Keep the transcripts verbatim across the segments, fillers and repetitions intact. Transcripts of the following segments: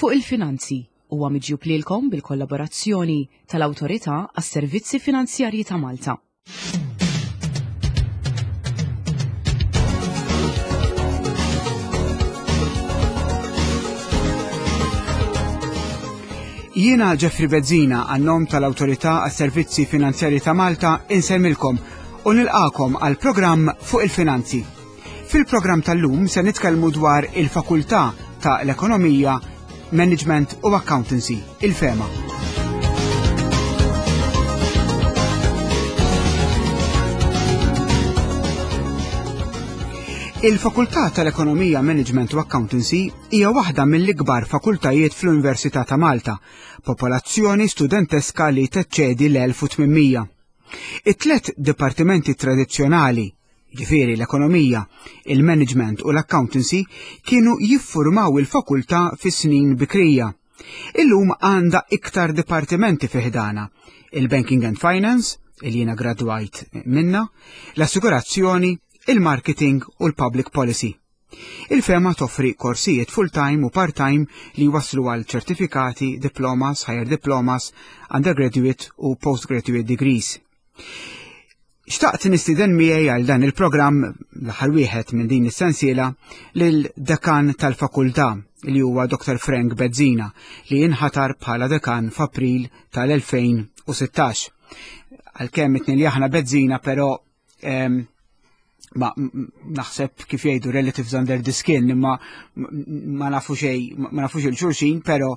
Fuq il-Finanzi huwa miġjub lilkom bil-kollaborazzjoni tal-Awtorità għas-Servizzi Finanzjarji ta' Malta. Jiena Jeffrey Bezzina għan-nom tal-Awtorità għas-Servizzi Finanzjarji ta' Malta insellmilkom u nilqakom għal programm fuq il-finanzi. Fil-programm tal-lum se nitkellmu dwar il-Fakultà ta' l-Ekonomija, Management u Accountancy, il-FEMA. Il-Fakultà tal-Ekonomija, Management u Accountancy hija waħda mill-ikbar fakultajiet fl-Università ta' Malta, popolazzjoni studenteska li teċċedi l-elf u tmien mija. It-tlet dipartimenti tradizzjonali, ġifieri l-ekonomija, il-management u l-accountancy, kienu jiffurmaw il-fakultà fis-snin bikrija. Illum għandha iktar dipartimenti fi ħdana, il-Banking and Finance, il jiena gradwajt minna, l-assigurazzjoni, il-marketing u l-public policy. Il-FEMA toffri korsijiet full-time u part-time li waslu għal ċertifikati, diplomas, higher diplomas, undergraduate u postgraduate degrees. Xtaqt nistieden miegħi għal dan il-programm, l-aħħar wieħed minn din is-sensiela, lil dekan tal-fakultà li huwa Doktor Frank Bezzina, li inħatar bħala dekan f'April tal-elfejn u sittax. Għalkemm it-tnejn li aħna Bezzina, però, ehm, ma naħseb kif jgħidu relatives under the skin, imma ma nafu xejn, ma nafux il-xulxin, però,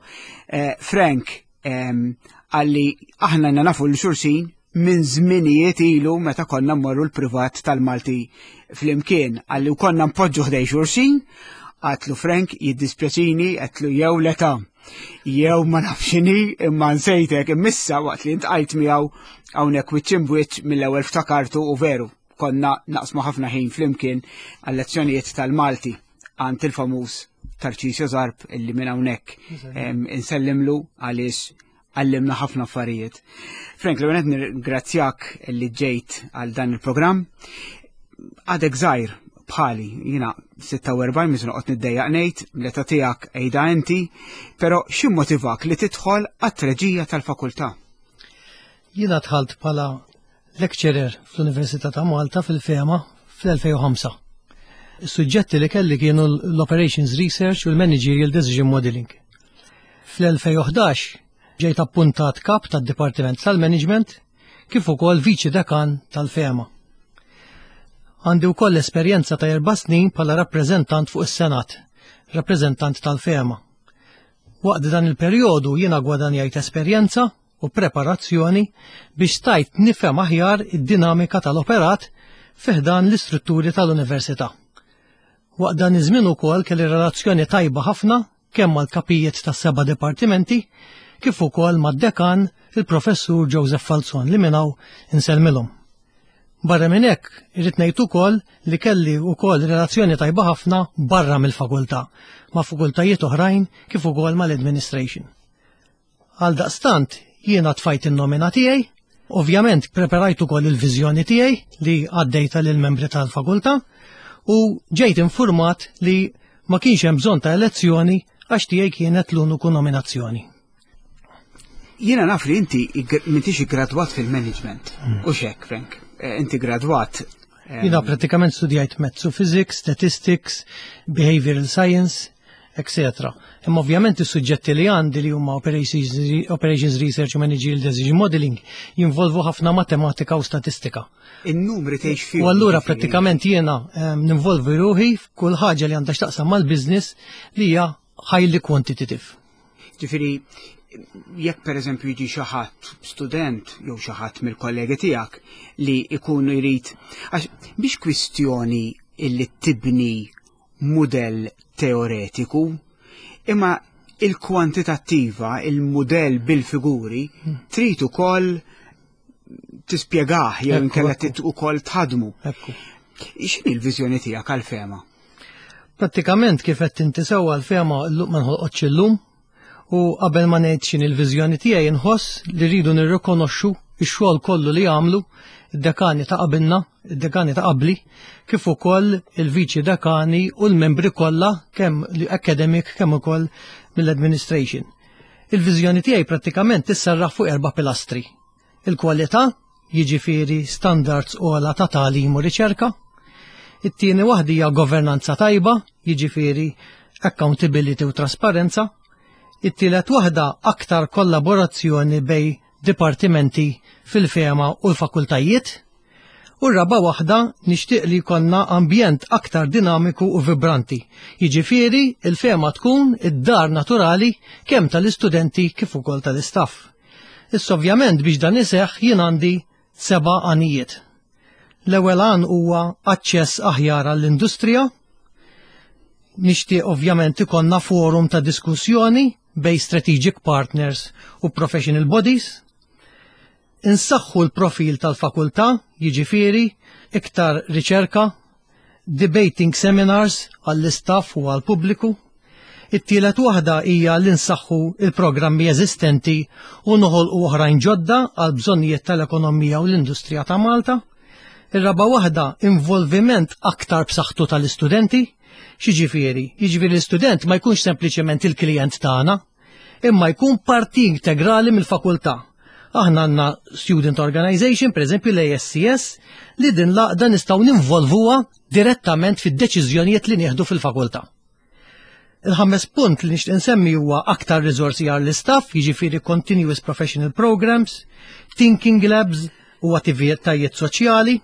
eh, Frank, ehm, għalli aħna nafu l-xulxin minn żminijiet ilu meta konna mmorru l-privat tal-Malti flimkien, għalli u konna npoġġu ħdej xulxin. Għatlu Frank jiddispjaċini, għatlu jew l-età, jew ma nafxini imma nsejtek, immissa waqt li ntqajt miegħu hawnhekk wiċċ imbwiċċ mill-ewwel ftakartu u veru konna naqsmu ħafna ħin flimkien għal-lezzjonijiet tal-Malti għand il-famuż Tarċisio Zarb, illi minn hawnhekk, em, insellimlu għaliex għallimna ħafna affarijiet. Frank, l-ewwel nirringrazzjak li ġejt għal dan il-programm. Għadek żgħir bħali, jiena sitta u erbgħin, miż noqgħod niddejjaq ngħid, l-età tiegħek ejda inti, però x'immotivak li tidħol għat-treġija tal-fakultà? Jiena dħalt bħala lecturer fl-Università ta' Malta fil-FEMA fl-elfejn u ħamsa. Is-suġġetti li kelli kienu l-Operations Research u l-Managerial Decision Modeling. Fl-elfejn u ħdax ġejt appuntat kap tad-Dipartiment tal-Management kif ukoll viċi dekan tal-FEMA. Għandi wkoll esperjenza ta' erba' snin bħala rappreżentant fuq is-Senat, rappreżentant tal-FEMA. Waqt dan il-perjodu jiena gwadanjajt esperjenza u preparazzjoni biex stajt nifhem aħjar id-dinamika tal-operat fi ħdan l-istrutturi tal-università. Waqt dan iż-żmien ukoll kelli relazzjoni tajba ħafna kemm mal-kapijiet tas-seba' dipartimenti kif ukoll mad-dekan il-professur Joseph Falzon li minn hawn insellmilhom. Barra minn hekk irrid ngħid ukoll li kelli wkoll relazzjoni tajba ħafna barra mill-fakultà ma' fakultajiet oħrajn kif ukoll mal-administration. Għal daqstant jiena tfajt in-nomina tiegħi, ovvjament preparajt ukoll il-viżjoni tiegħi li għaddejta lill-membri tal-fakultà u ġejt informat li ma kienx hemm bżonn ta' elezzjoni għax tiegħi kienet l-uniku nominazzjoni. Jiena naf li inti igr-, m'intix iggradwat fil-management. Mm. U xek, Frank, eh, inti gradwat, ehm, Jiena pratikament studjajt Maths u Physics, Statistics, Behavioral Science, et cetera. Imma ovvjament is-suġġetti li għandi li huma Operations, Operations Research u Managerial Decision Modeling jinvolvu ħafna matematika u statistika. In-numri tgħix fihom. U allura ġifieri. pratikament jiena, ehm, ninvolvi ruħi f'kull ħaġa li għandha x'taqsam mal-business li hija highly quantitative. Ġifieri, jekk per eżempju jiġi xi ħadd student jew xi ħadd mill-kollegi tiegħek li jkunu jrid, għax biex kwistjoni illi tibni mudell teoretiku, imma il-kwantitattiva, il-mudell bil-figuri, Hmm. trid ukoll tispjegah jew Ekku, inkella ekku. trid ukoll tħadmu. Ekku. X'inhi l-viżjoni tiegħek għall-FEMA? Prattikament kif qed inti sewwa l-FEMA llum ma nħolqotx illum, u qabel ma ngħid x'inhi l-viżjoni tiegħi nħoss li rridu nirrikonoxxu ix-xogħol kollu li għamlu id-dekani ta' qabilna, id-dekani ta' qabli, kif ukoll il-viċi dekani u l-membri kollha, kemm academic kemm ukoll mill-administration. Il-viżjoni tiegħi prattikament tisserraħ fuq erba' pilastri. Il-kwalità, jiġifieri standards ogħla ta' tagħlim u riċerka. It-tieni waħda hija governanza tajba, jiġifieri accountability u trasparenza. It-tielet waħda, aktar kollaborazzjoni bejn dipartimenti fil-FEMA u l-fakultajiet. U r-raba waħda, nixtieq li jkollna ambjent aktar dinamiku u vibranti. Jiġifieri il-FEMA tkun id-dar naturali kemm tal-istudenti kif ukoll tal-istaff. Issa, ovvjament, biex dan iseħħ jien għandi seba' għanijiet. L-ewwel għan huwa aċċess aħjar għall-industrija. Nixtieq ovvjament ikollna forum ta' diskussjoni bejn strategic partners u professional bodies. Insaħħu l-profil tal-fakultà, jiġifieri iktar riċerka, debating seminars għall-istaff u għall-pubbliku. It-tielet waħda hija li nsaħħu il-programmi eżistenti u noħolqu oħrajn ġodda għal bżonnijiet tal-ekonomija u l-industrija ta' Malta. Ir-raba waħda, involviment aktar b'saħħtu tal-istudenti. X'jiġifieri? Jiġifieri l-istudent ma jkunx sempliċement il-klijent tagħna, imma jkun parti integrali mill-fakultà. Aħna għandna Student Organization, per eżempju l-A S C S, li din l-għaqda nistgħu ninvolvuha direttament fid-deċiżjonijiet li nieħdu fil-fakultà. Il-ħames punt li nixtieq insemmi huwa aktar riżorsi għall-istaff, jiġifieri continuous professional programs, thinking labs u attivitajiet soċjali.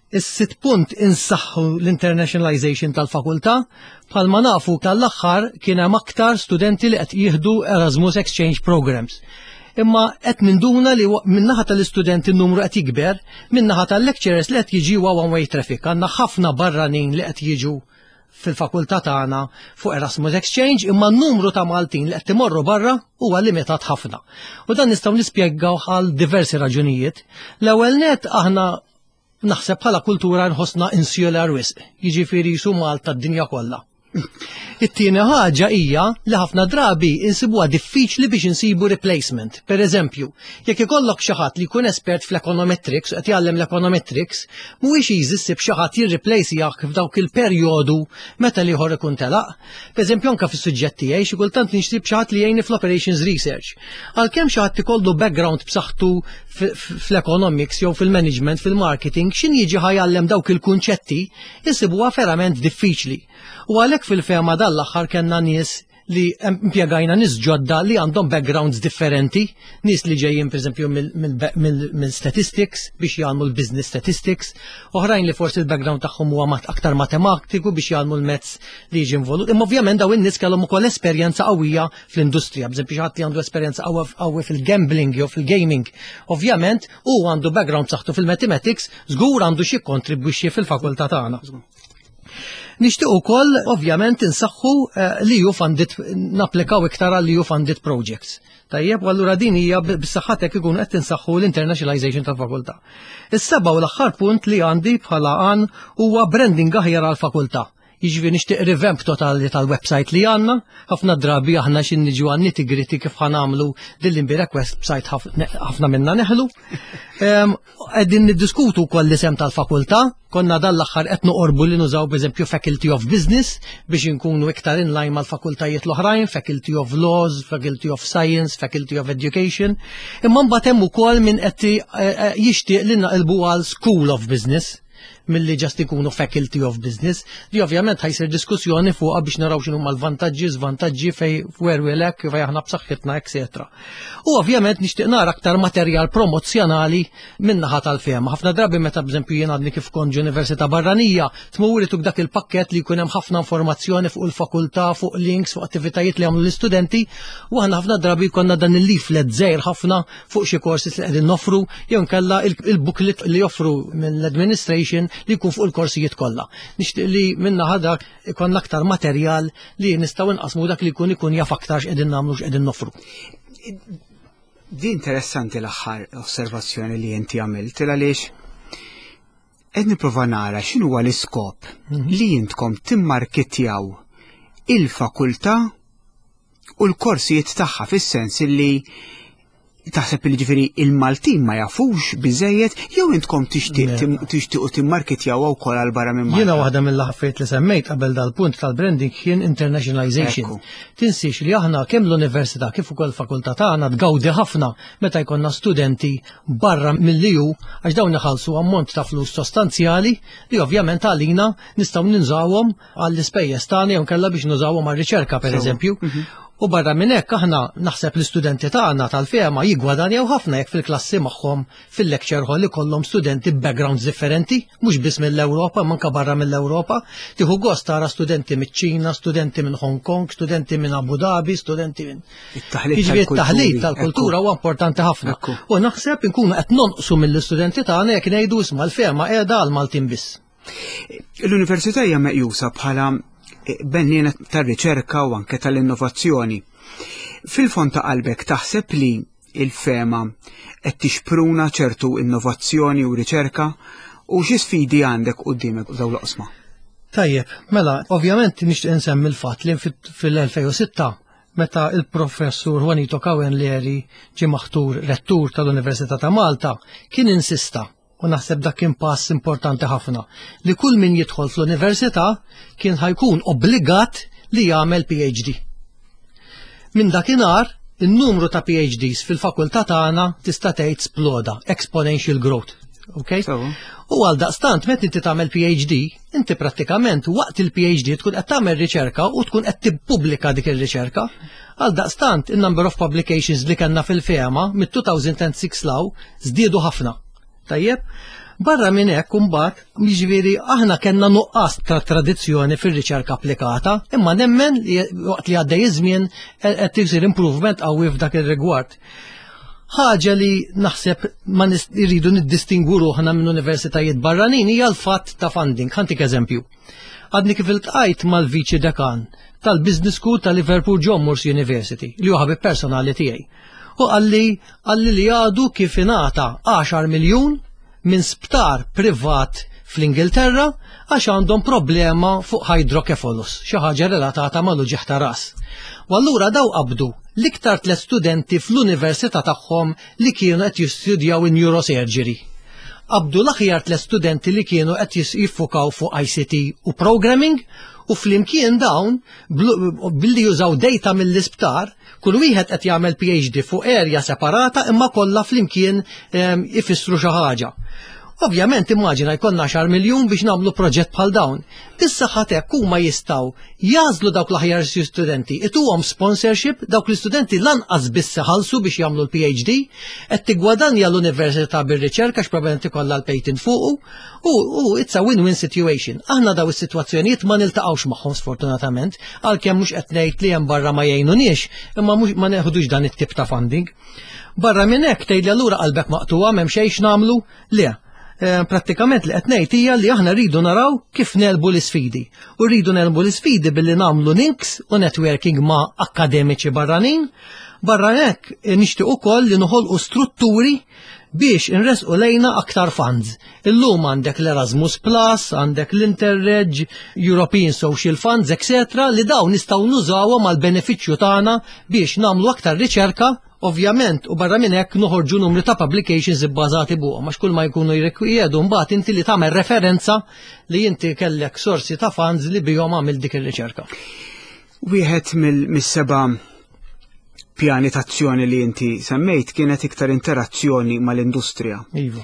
Is-sitt punt, insaħħu l-internationalization tal-fakultà. Bħalma nafu, tal-aħħar kien hemm aktar studenti li qed jieħdu Erasmus Exchange Programs. Imma qed ninduna li min-naħa tal-istudenti n-numru qed jikber, min-naħa tal-lecturers li qed jiġi one way traffic. Għandna ħafna barranin li qed jiġu fil-fakultà tagħna fuq Erasmus Exchange, imma n-numru ta' Maltin li qed imorru barra huwa limitat ħafna. U dan nistgħu nispjegaw għal diversi raġunijiet. L-ewwel net, aħna naħseb bħala kultura nħossna insular wisq, jiġifieri su Malta d-dinja kollha. It-tieni ħaġa hija li ħafna drabi insibuha diffiċli biex insibu replacement. Per eżempju, jekk ikollok xi ħadd li jkun espert fl-econometrics u qed jgħallem l-econometrics, mhuwiex easy ssib xi ħadd jirreplace f'dawk il-perjodu meta l-ieħor ikun telaq. Per eżempju, anke fis-suġġett tiegħi xi kultant nixtieq xi ħadd li jgħinni fl-operations research. Għalkemm xi ħadd ikollu background b'saħħtu fl-economics jew fil-management, fil-marketing, x'ħin jiġi ħa jgħallem dawk il-kunċetti, insibuha verament diffiċli. U għalhekk fil-FEMA dal-aħħar kellna nies li impjegajna, nies ġodda li għandhom backgrounds differenti, nies li ġejjin pereżempju mill-statistics biex jgħallmu l-business statistics, oħrajn li forsi l-background tagħhom huwa aktar matematiku biex jgħallmu l-maths li jiġi involut. Imma ovvjament dawn in-nies kellhom ukoll esperjenza qawwija fl-industrija, b'eżempju xi ħadd li għandu esperjenza qawwi fil-gambling jew fil-gaming. Ovvjament hu għandu background saħħtu fil-mathematics, żgur għandu xi kontribwixxi fil-fakultà tagħna. Nixtieq ukoll ovvjament insaħħu eh, li E U funded, napplikaw iktar għal E U funded projects. Tajjeb, u allura din hija bis-saħħatek ikun qed tinsaħħu l-internationalization tal-fakultà. Is-seba' u l-aħħar punt li għandi bħala għan huwa branding aħjar għall-fakultà. Jiġifieri nixtieq revamp totali tal-website li għandna. Ħafna drabi aħna x'ħin niġu għan nitty-gritty kif ħa nagħmlu din l-imbierek website, ħafna minna neħlu. Qegħdin niddiskutu wkoll l-isem tal-fakultà, konna dal-aħħar qed noqorbu li nużaw b'eżempju Faculty of Business biex inkunu iktar in line mal-fakultajiet l-oħrajn, Faculty of Laws, Faculty of Science, Faculty of Education. Imma mbagħad hemm ukoll min qed eh, eh, jixtieq li naqilbu għal School of Business milli just ikunu Faculty of Business, li ovvjament ħa jsir diskussjoni fuqha biex naraw x'inhu l-vantaġġi, żvantaġġi, fej where we lack, fej aħna b'saħħitna, et cetera. U ovvjament nixtieq nara aktar materjal promozzjonali min-naħa tal-FEMA. Ħafna drabi meta, b'eżempju, jien għadni kif kont università barranija, tmur tuk dak il-pakket li jkun hemm ħafna informazzjoni fuq il-fakultà, fuq links, fuq attivitajiet li għamlu l-istudenti, u aħna ħafna drabi konna dan il-leaflet żgħir ħafna fuq xi courses li qegħdin noffru jew nkella il-booklet li joffru mill-administration li jkun fuq il-korsijiet kollha. Nixtieq li min-naħa dak ikun aktar materjal li nistgħu nqasmu, dak li jkun ikun jaf aktar x'qegħdin nagħmlu, x'qegħdin noffru. Di interessanti l-aħħar osservazzjoni li inti għamilt, għaliex qed nipprova nara x'inhu huwa l-iskop mhm. li intkom timmarketjaw il-fakultà u l-korsijiet tagħha, fis-sens li Taħseb li ġifieri il-Maltin ma jafux biżejjed jew intkom tixtiequ timmarketjaw wkoll għal barra minn Malta? Jiena waħda mill-affarijiet li semmejt qabel dal-punt tal-branding kien internationalization. Tinsiex li aħna kemm l-università kif ukoll fakultà tagħna tgawdi ħafna meta jkollna studenti barra mill-E U, għax dawn iħallsu ammont ta' flus sostanzjali li ovvjament għalina nistgħu nużawhom għall-ispejjeż tagħna jew kellha biex nużawhom għar-riċerka, pereżempju. Mhm. U barra minn hekk, aħna naħseb l-istudenti tagħna tal-FEMA jiggwadanjaw ħafna jekk fil-klassi magħhom fil-lecture hall ikollhom studenti backgrounds differenti, mhux biss mill-Ewropa, manka barra mill-Ewropa. Tieħu gost tara studenti miċ-Ċina, studenti minn Hong Kong, studenti minn Abu Dhabi, studenti minn. It-taħlit tal-kultura huwa importanti ħafna. U naħseb inkunu qed nonqsu mill-istudenti tagħna jekk ngħidu, "Isma', l-FEMA qiegħda għal Maltin biss." L-università hija meqjusa bħala benniena tar-riċerka u anke tal-innovazzjoni. Fil-fond ta' qalbek, taħseb li il-FEMA qed tixpruna ċertu innovazzjoni u riċerka, u xi sfidi għandek quddiemek dawn l-oqsma? Tajjeb, mela, ovvjament nixtieq insemmi l-fatt li fil-elfejn u sitta, meta il-professur Juanito Cohen Leri ġie maħtur rettur tal-Università ta' Malta, kien insista, u naħseb dak kien pass importanti ħafna, li kull min jidħol fl-università kien ħa jkun obbligat li jagħmel P H D. Minn dakinhar, in-numru ta' P H Ds fil-fakultà tagħna tista' tgħid sploda, exponential growth. Okay? U għal daqstant, meta inti tagħmel P H D, inti prattikament waqt il-P H D tkun qed tagħmel riċerka u tkun qed tippubblika dik ir-riċerka. Għal daqstant, in-number of publications li kellna fil-FEMA mit-elfejn u sitta 'l hawn żdiedu ħafna. Tajjeb, barra minn hekk imbagħad, jiġifieri aħna kellna nuqqas ta' tradizzjoni fir-riċerka applikata, imma nemmen li waqt li għaddej iż-żmien qed isir improvement qawwi f'dak ir-rigward. Ħaġa li naħseb ma irridu niddistingu ruħna minn universitajiet barranin hija l-fatt ta' funding. Ħa ntik eżempju. Għadni kif iltqajt mal-viċi dekan tal-Business School ta' Liverpool John Moores University, li hu ħabib personali tiegħi. U qalli qalli li għadu kif ingħata għaxar miljun minn sptar privat fl-Ingilterra għax għandhom problema fuq hydrocephalus, xi ħaġa relatata mal-uġigħ ta' ras. U allura daw qabdu l-iktar tliet studenti fl-università tagħhom li kienu qed jistudjaw in neurosurgery. Qabdu l-aħjar tliet studenti li kienu qed jiffukaw fuq I C T u programming, u flimkien dawn, billi jużaw data mill-isptar, kull wieħed qed jagħmel P H D fuq area separata, imma kollha flimkien ehm, ifissru xi ħaġa. Ovvjament, immaġina jkollna għaxar miljun biex nagħmlu proġett bħal dawn. Bis-saħħa hekk huma jistgħu jagħżlu dawk l-aħjar studenti, ituhom sponsorship, dawk l-istudenti lanqas biss ħallsu biex jagħmlu l-P H D, qed tigwadanja l-università bir-riċerka x'probabbilment ikollha l-patent fuqu, u, u it's a win-win situation. Aħna daw is-sitwazzjonijiet ma niltaqgħux magħhom sfortunatament, għalkemm mhux qed ngħid li hemm barra ma jgħinuniex, imma mhux ma neħdux dan it-tip ta' funding. Barra minn hekk, tgħidli allura qalbek maqtuha, m'hemm xejn x'nagħmlu? Le, Eh, prattikament li qed ngħid hija li aħna rridu naraw kif negħlbu l-isfidi. U rridu negħlbu l-isfidi billi nagħmlu links u networking ma' akademiċi barranin. Barra hekk, nixtieq ukoll li noħolqu strutturi biex inresqu lejna aktar funds. Illum għandek l-Erasmus Plus, għandek l-Interreg, European Social Funds, et cetera li dawn nistgħu nużawhom għal benefiċċju tagħna biex nagħmlu aktar riċerka. Ovvjament, u barra minn hekk noħorġu numri ta' publications ibbażati fuqhom, għax kull ma jkunu jirrikjedu mbagħad inti li tagħmel referenza li inti kellek sorsi ta' funds li bihom għamil dik ir-riċerka. Wieħed mill-seba' pjani ta' azzjoni li inti semmejt kienet iktar interazzjoni mal-industrija. Iva.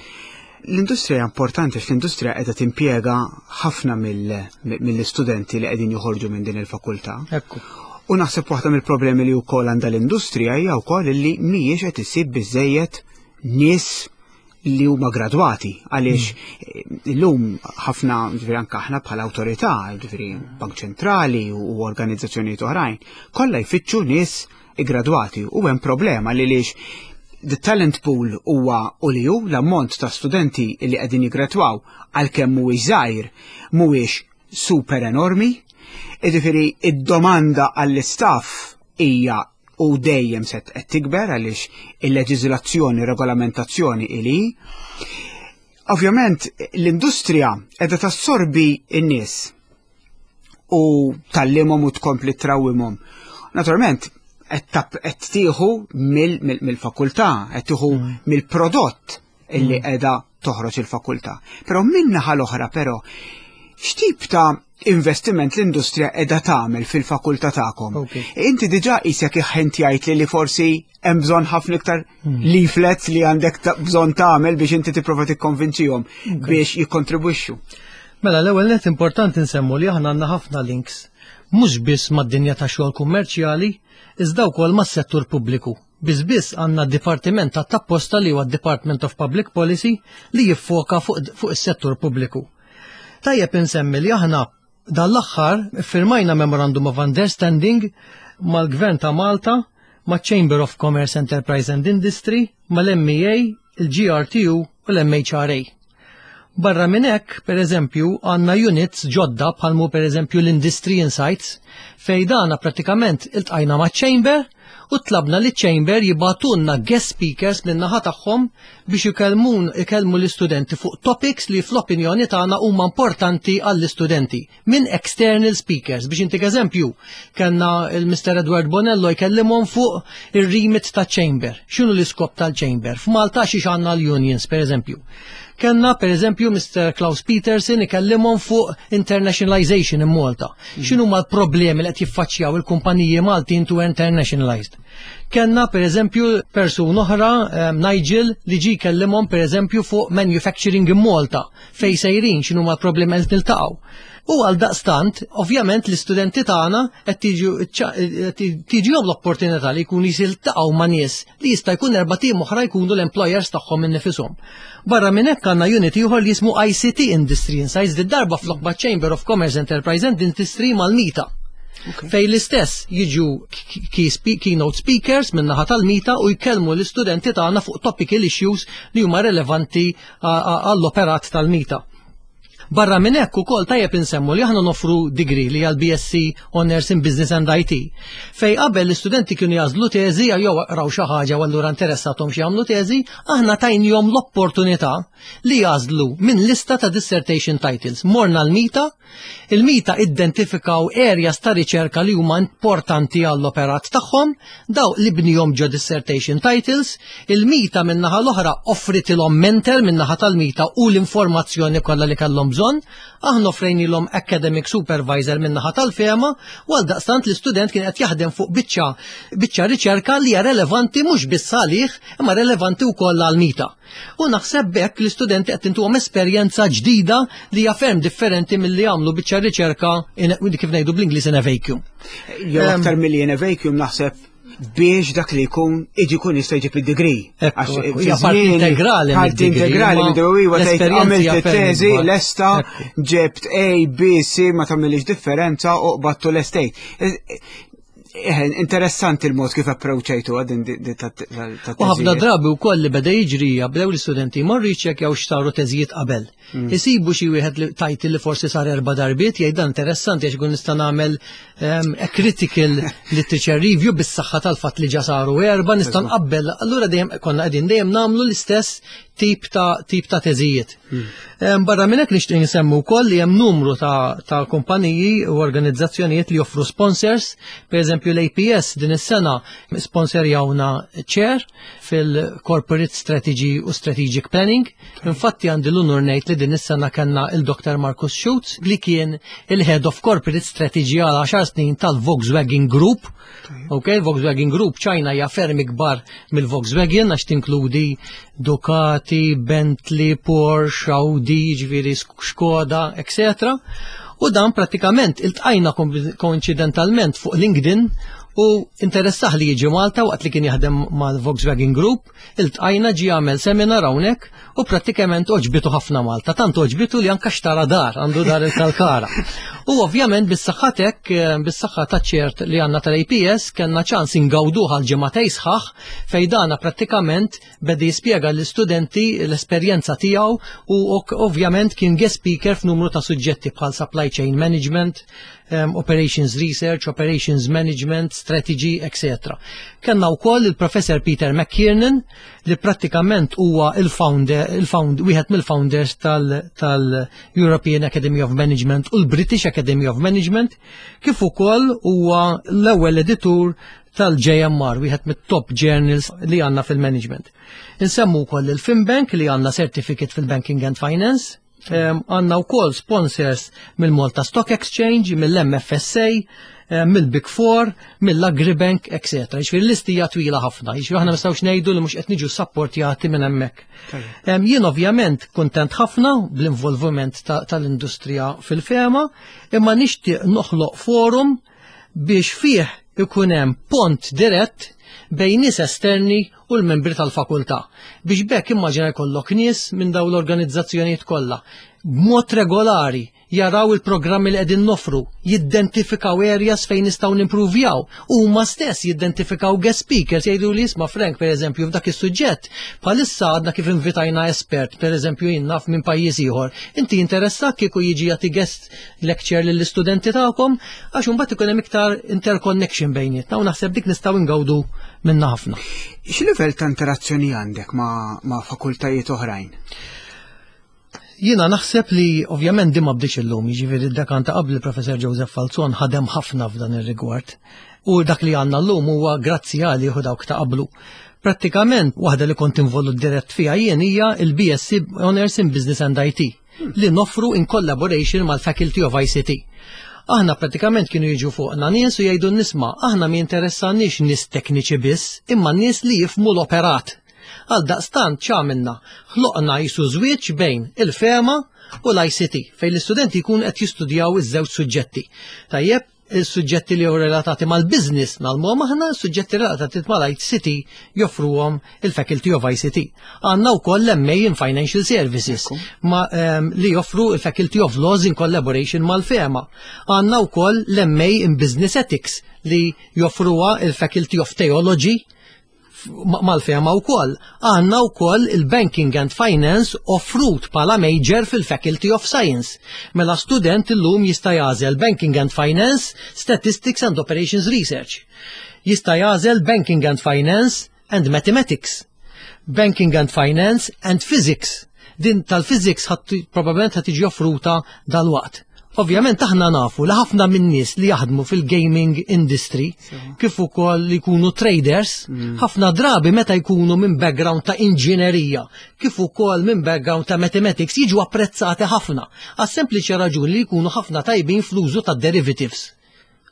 L-industrija importanti għax l-industrija qiegħda timpjega ħafna mill-istudenti li qegħdin joħorġu minn din il-fakultà. Ekku. U naħseb waħda mill-problemi li wkoll għandha l-industrija hija wkoll li mhijiex qed issib biżejjed nies li huma gradwati, għaliex mm. illum ħafna, ġifieri anke aħna bħala awtorità, ġifieri Bank Ċentrali u organizzazzjonijiet oħrajn, kollha jfittxu nies iggradwati, u hemm problema li lix the talent pool huwa u li hu l-ammont ta' studenti li qegħdin jiggradwaw, għalkemm mhuwiex żgħir, mhuwiex super enormi. Jiġifieri id-domanda għall-istaff hija u dejjem se qed tikber għaliex il-leġiżlazzjoni, regolamentazzjoni ili. Ovvjament l-industrija qiegħda tassorbi n-nies u tgħallimhom u tkompli trawwimhom. Naturalment, Qed tieħu mill-fakultà, qed tieħu mm. mill-prodott illi mm. qiegħda toħroġ il-fakultà. Però min-naħa l-oħra però, x'tip ta' investiment l-industrija qiegħda tagħmel fil-fakultà tagħkom? Inti diġà qisek ħint jgħid li li forsi hemm bżonn ħafna iktar hmm. leaflets li għandek bżonn tagħmel biex inti tipprova tikkonvinċihom biex jikkontribwixxu. Mela, l-ewwel net importanti nsemmu li aħna għandna ħafna links mhux biss mad-dinja ta' xogħol kummerċjali, iżda wkoll mas-settur pubbliku. Biss biss għandna dipartiment ta' tapposta li huwa Department of Public Policy li jiffoka fuq fu is-settur pubbliku. Tajjeb insemmi li aħna dal-aħħar firmajna Memorandum of Understanding mal-Gvern ta' Malta, ma' Chamber of Commerce, Enterprise and Industry, mal-M E A, il-G R T U u l-M H R A. Barra minn hekk, per eżempju, għandna units ġodda bħalmu per eżempju l-Industry Insights, fej dana pratikament iltqajna ma' Chamber u tlabna li Chamber jibagħtulna guest speakers minn naħa tagħhom biex ikellmun ikellmu l-istudenti fuq topics li fl-opinjoni tagħna huma importanti għall-istudenti minn external speakers. Biex intik eżempju, kellna il-Mister Edward Bonello jkellimhom fuq ir-remit ta' Chamber. X'inhu l-iskop tal-Chamber? F'Malta xiex għandna l-unions, per eżempju. Kellna per eżempju Mister Klaus Peterson ikellimhom fuq internationalization in Malta. Mm. X'inhu ma l-problemi li qed jiffaċċjaw il-kumpaniji Maltin to internationalized. Kellna per eżempju persuna oħra, um, Nigel, li ġi kellimhom per eżempju fuq manufacturing in Malta, fej sejrin, x'inhu ma l-problemi qed niltaqgħu. U għal daqstant, ovvjament, l-istudenti tagħna qed tiġihom l-opportunità li jkunu jiltaqgħu ma' nies li jista' jkun erbat ijiem oħra jkunu l-employers tagħhom innifishom. Barra minn hekk għandna unit ieħor li jismu I C T Industry Insights, di darba flok Chamber of Commerce, Enterprise and Industry mal-MITA. Fej l-istess jiġu keynote speakers minn naħa tal-MITA u jkellmu l-istudenti tagħna fuq topical issues li huma relevanti għall-operat tal-MITA. Barra minn hekk ukoll tajjeb insemmu li aħna nofru degree li għal B S C Honors in Business and I T. Fej qabel l-istudenti kienu jagħżlu teżi jew raw xi ħaġa u allura interessathom xi jagħmlu teżi, aħna tajnihom l-opportunità li jagħżlu minn lista ta' dissertation titles. Morna l-MITA, il-MITA identifikaw areas ta' riċerka li huma importanti għall-operat tagħhom, daw li bnihom ġo dissertation titles, il-MITA min-naħa l-oħra offritilhom mentor min-naħa tal-MITA u l-informazzjoni kollha li kellhom bżonn, aħna offrejnilhom academic supervisor min-naħa tal-FEMA u għal daqstant l-istudent kien qed jaħdem fuq biċċa biċċa riċerka li hija relevanti mhux biss għalih imma relevanti wkoll għal-MITA. U naħseb bekk l-istudenti qed intuhom esperjenza ġdida li hija ferm differenti milli jagħmlu biċċa riċerka, kif ngħidu bl-Ingliż, in a vacuum. Jew aktar milli in a vacuum, naħseb biex dak li jkun iġi kun jista' jġib id-degree. Hija parti integrali. Parti integrali mid-degree, tgħid għamilt it-teżi lesta, ġebt A, B, C, ma tagħmilix differenza u qbattu l-estate. Interessanti il-mod kif approachajtu għadin. U ħafna drabi wkoll li beda jiġri, bdew l-istudenti morru jiċċekkjaw x'saru teżijiet qabel. Mm. Isibu xi wieħed li title li forsi sar erba' darbiet, jgħid dan interessanti għax ikun nista' nagħmel a critical literature review bis-saħħa tal-fatt li ġa saru erba', nista' nqabbel. Allura dejjem konna qegħdin dejjem nagħmlu l-istess tip ta' tip ta' teżijiet. Mm. Barra minn hekk nixtieq nsemmu wkoll li hemm numru ta', ta' kumpaniji u organizzazzjonijiet li joffru sponsors, per eżempju l-A P S din is-sena sponsorjawna chair fil-Corporate Strategy u Strategic Planning. Infatti għandi l-unur ngħid li din is-sena kellna il-Doktor Marcus Schutz li kien il-Head of Corporate Strategy għal għaxar snin tal-Volkswagen Group. Ok, Volkswagen Group China hija ferm ikbar mill-Volkswagen għax tinkludi Ducati, Bentley, Porsche, Audi, ġifieri Skoda, et cetera. U dan pratikament iltqajna koincidentalment fuq LinkedIn u interessah li jiġi Malta waqt li kien jaħdem mal-Volkswagen Group, iltqajna, ġi għamel seminar hawnhekk u prattikament għoġbitu ħafna Malta, tant għoġbitu li anka xtara dar, għandu dar il-Kalkara. U ovvjament bis-saħħa tek, bis-saħħa ta' ċert li għandna tal-A P S, kellna ċans ingawduh għal ġimagħtejn sħaħ fej dana prattikament beda jispjega l-istudenti l-esperjenza tiegħu u ovvjament kien guest speaker f'numru ta' suġġetti bħal supply chain management, um, Operations Research, Operations Management, Strategy, et cetera. Kellna wkoll il-Professor Peter McKiernan, li prattikament huwa il-founder, il-found, wieħed mill-founders tal-European Academy of Management u l-British Academy of Management, kif ukoll huwa l-ewwel editur tal-J M R, wieħed mit-top journals li għandna fil-management. Insemmu wkoll il-FinBank, li għandna certificate fil-Banking and Finance, għandna wkoll sponsors mill-Malta Stock Exchange, mill-M F S A, mill-Big Four, mill-Agribank, et cetera. Jiġifieri l-lista hija twila ħafna, jiġifieri aħna nistgħux ngħidu li mhux qed niġu supportjati minn hemmhekk. Jien ovvjament kuntent ħafna bl-involviment tal-industrija fil-FEMA, imma nixtieq noħloq forum biex fih ikun hemm pont dirett bejn nies esterni u l-membri tal-fakultà. Biex bekk immaġina jkollok nies minn dawn l-organizzazzjonijiet kollha b'mod regolari jaraw il-programmi li qegħdin nofru, jidentifikaw areas fejn nistgħu nimprovjaw, huma stess jidentifikaw guest speakers, jgħidu li, "Isma' Frank, pereżempju, f'dak is-suġġett bħalissa għadna kif invitajna espert, pereżempju jien naf minn pajjiż ieħor. Inti interessat kieku jiġi jagħti guest lecture lill-istudenti tagħkom?" Għax imbagħad ikun hemm iktar interconnection bejnietna u naħseb dik nistgħu ngawdu minna ħafna. X'livell ta' interazzjoni għandek ma', ma fakultajiet oħrajn? Jiena naħseb li ovvjament di ma bdietx illum, jiġifieri d-dekan ta' qabel, il-Professor Joseph Falzon, ħadem ħafna f'dan ir-rigward. U dak li għandna llum huwa grazzi għalih u dawk ta' qablu. Prattikament waħda li kont involut dirett fiha jien hija il-B S C Honors in Business and I T li nofru in collaboration mal-Faculty of I C T. Aħna pratikament kienu jiġu fuqna nies u jgħidu, "Isma', aħna ma jinteressanix nies tekniċi biss, imma nies li jifhmu l-operat." Għal daqstant x'għamilna? Ħloqna qisu żwieġ bejn il-FEMA u l-I C T, fejn l-istudenti jkun qed jistudjaw iż-żewġ suġġetti. Tajjeb, il-suġġetti li relatati mal-business ngħallmuhom aħna, suġġetti relatati mal-I C T joffruhom il-Faculty of I C T. Għandna wkoll l-M A in Financial Services ma, um, li joffru il-Faculty of Laws in collaboration mal-FEMA. Għandna wkoll l-M A in Business Ethics li joffruha il-Faculty of Theology mal-FEMA wkoll. Għandna wkoll il-Banking and Finance offrut bħala major fil-Faculty of Science. Mela student illum jista' jagħżel Banking and Finance, Statistics and Operations Research. Jista' jagħżel Banking and Finance and Mathematics. Banking and Finance and Physics. Din tal-physics probabbilment ħa tiġi offruta dal-waqt. Ovvjament aħna nafu li ħafna minn nies li jaħdmu fil-gaming industry, kif ukoll li jkunu traders, mm. ħafna drabi meta jkunu minn background ta' inġinerija, kif ukoll minn background ta' mathematics, jiġu apprezzati ħafna. Għas sempliċi raġuni li jkunu ħafna tajbin fl-użu ta' derivatives.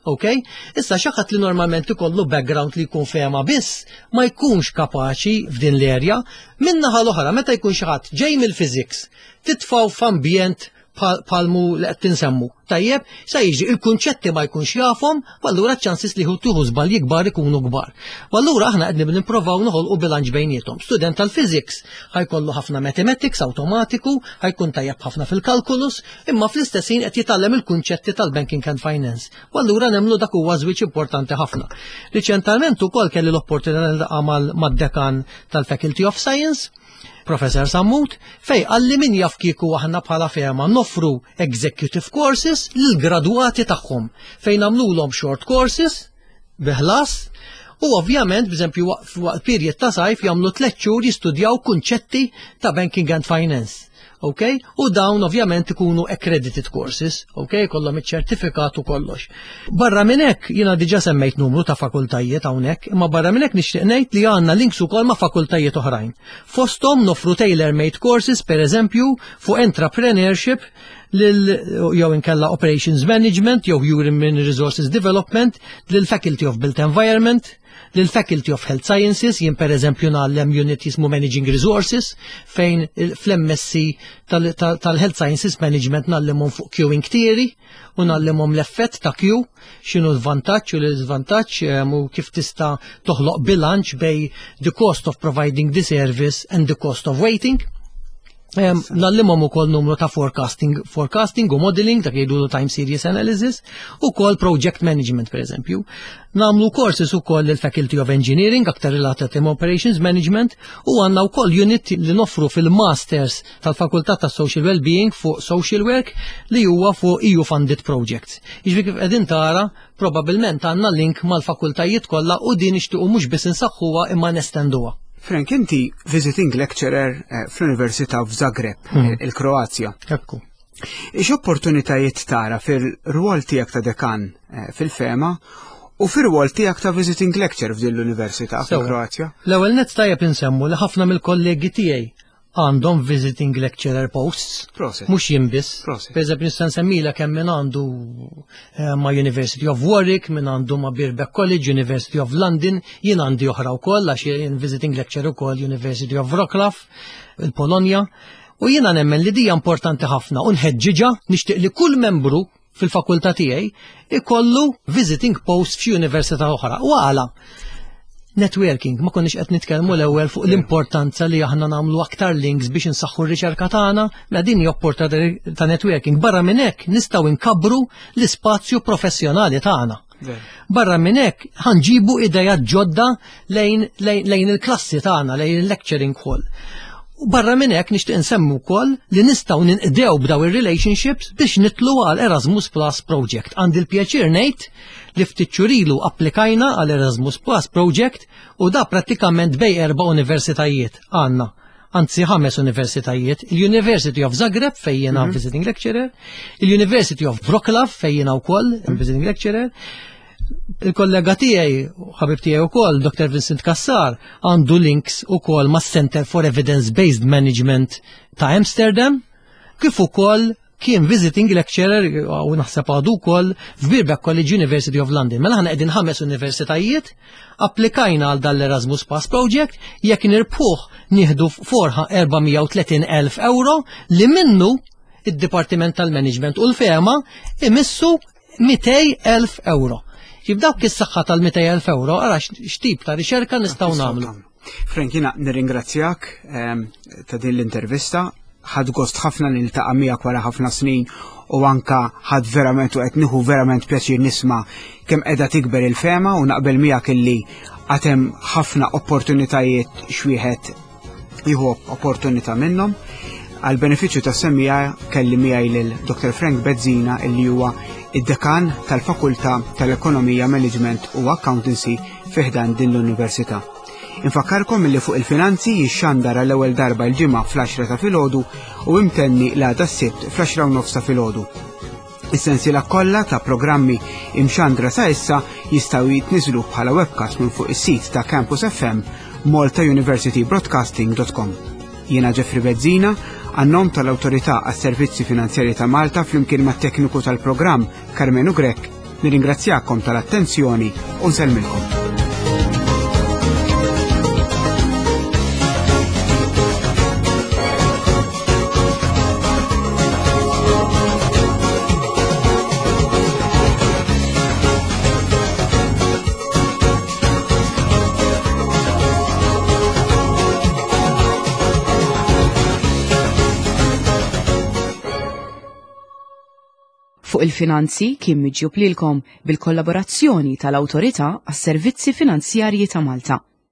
Ok? Issa xi ħadd li normalment ikollu background li jkun FEMA biss, ma jkunx kapaċi f'din l-erja. Min-naħa l-oħra, meta jkun xi ħadd ġej mill-physics, titfgħu f'ambjent bħal mu li qed tinsemmu. Tajjeb, sa jiġi il-kunċetti ma jkunx jafhom, u allura ċ-chances li tieħu żbalji kbar ikunu kbar. U allura aħna qed nipprovaw noħolqu bilanċ bejniethom. Student tal-physics ħa jkollu ħafna mathematics automatiku, ħa jkun tajjeb ħafna fil-calculus, imma fl-istess ħin qed jitgħallem il-kunċetti tal-banking and finance. U allura nemmnu dak huwa żwieġ importanti ħafna. Riċentalment ukoll kelli l-opportunità niltaqa' mad-dekan tal-Faculty of Science, Professor Sammut, fejn qalli min jaf kieku aħna bħala FEMA noffru executive courses lill-gradwati tagħhom, fejn nagħmluhom short courses bi ħlas u ovvjament, b'eżempju, waqt period ta' sajf jagħmlu tliet xhur jistudjaw kunċetti ta' banking and finance. Ok? U dawn ovvjament ikunu accredited courses, ok? Kollhom iċ-ċertifikat u kollox. Barra minn hekk, jiena diġà semmejt numru ta' fakultajiet hawnhekk, imma barra minn hekk nixtieq ngħid li għandna links ukoll ma' fakultajiet oħrajn. Fosthom nofru tailor-made courses, per eżempju, fuq entrepreneurship lil jew inkella Operations Management jew Human Resources Development lil Faculty of Built Environment, lil Faculty of Health Sciences. Jien per eżempju ngħallem unit jismu Managing Resources, fejn fl-M S C tal-Health Sciences Management ngħallimhom fuq queuing theory u ngħallimhom l-effett ta' queue, x'inhu l-vantaġġ u l-iżvantaġġ u kif tista' toħloq bilanċ bejn the cost of providing the service and the cost of waiting. Ngħallimhom ukoll numru ta' forecasting, forecasting u modeling, dak jgħidu time series analysis, u kol project management, per eżempju. Nagħmlu courses ukoll il-Faculty of Engineering, aktar related to Operations Management, u għandna wkoll unit li noffru fil-Masters tal-Fakultà ta' Social Wellbeing fuq Social Work li huwa fuq E U Funded Projects. Jiġifieri kif qegħdin tara, probabbilment għandna link mal-fakultajiet kollha u din nixtiequ mhux biss insaħħuha imma nestenduha. Frank, inti visiting lecturer eh, fl-Università f'Zagreb, hmm. il-Kroazja. Ekku. X'opportunitajiet tara fil-rwol tiegħek ta' dekan eh, fil-FEMA u fil-rwol tiegħek ta' visiting lecturer f'din l-Università fil-Kroazja? L-ewwel nett tajjeb insemmu li ħafna mill-kollegi tiegħi għandhom visiting lecturer posts. Prosit. Mhux jien biss. Prosit. Per eżempju, nista' nsemmilek hemm min għandu eh, ma' University of Warwick, min għandu ma' Birkbeck College, University of London, jien għandi oħra wkoll għax jien visiting lecturer ukoll University of Wrocław, il-Polonja. U jiena nemmen li dija importanti ħafna u nħeġġiġha, nixtieq li kull membru fil-fakultà tiegħi ikollu visiting post f'xi università oħra. U għala? Networking, ma konniex qed nitkellmu l-ewwel fuq l-importanza li aħna nagħmlu aktar links biex insaħħu r-riċerka tagħna, ma din hija opportunità ta' networking. Barra minn hekk nistgħu nkabbru l-ispazju professjonali tagħna. Barra minn hekk ħa nġibu idejat ġodda lejn, lejn, lejn il-klassi tagħna, lejn il-lecturing hall. U barra minn hekk nixtieq insemmu wkoll li nistgħu ninqdew b'daw ir-relationships biex nidħlu għal Erasmus Plus Project. Għandi l-pjaċir ngħid li ftit xhur ilu applikajna għal Erasmus Plus Project u da prattikament bejn erba' universitajiet għandna. Anzi ħames universitajiet, il-University of Zagreb fejn jiena mm -hmm. visiting lecturer, il-University of Wroclaw fejn jiena wkoll mm -hmm. visiting lecturer, il-kollega tiegħi, ħabib tiegħi wkoll, Doctor Vincent Cassar, għandu links ukoll ma' Center for Evidence-Based Management ta' Amsterdam, kif ukoll kien visiting lecturer u naħseb għadu wkoll f'Birkbeck College, University of London. Mela aħna qegħdin ħames universitajiet, applikajna għal dan l-Erasmus Plus Project, jekk nirbħuh nieħdu forħa erba' mija u tletin elf euro li minnu id-Dipartiment tal-Management u l-FEMA imissu mitejn elf euro. Ġib dawk is-saħħa tal-mitejn elf euro, ara x'tip ta' riċerka nistgħu nagħmlu. Frank, jiena nirringrazzjak ehm, ta' din l-intervista. Ħadt gost ħafna li niltaqa' miegħek wara ħafna snin u anka ħadt verament u qed nieħu verament pjaċir nisma' kemm qiegħda tikber il-FEMA u naqbel miegħek illi għad hemm ħafna opportunitajiet x'wieħed jieħu opportunità minnhom. Għal benefiċċju tas-semmiegħa kelli miegħi lil Doctor Frank Bezzina, illi huwa id-dekan tal-Fakultà tal-Ekonomija, Management u Accountancy fi ħdan din l-Università. Infakkarkom illi Fuq il-Finanzi jixxandar l-ewwel darba l-Ġimgħa fl-għaxra ta' filgħodu u imtenni l-għada s-Sibt fl-għaxra u nofs ta' filgħodu. Is-sensiela kollha ta' programmi imxandra sa issa jistgħu jitniżlu bħala webcast minn fuq is-sit ta' Campus F M, malta university broadcasting dot com. Jiena Jeffrey Bezzina, għan-nom tal-Awtorità għas-Servizzi Finanzjari ta' Malta, flimkien mat-tekniku tal-programm Carmenu Grech, nirringrazzjakom tal-attenzjoni u nsellmilkom. Fuq il-Finanzi kien miġjub lilkom bil-kollaborazzjoni tal-Awtorità għas-Servizzi Finanzjarji ta' Malta.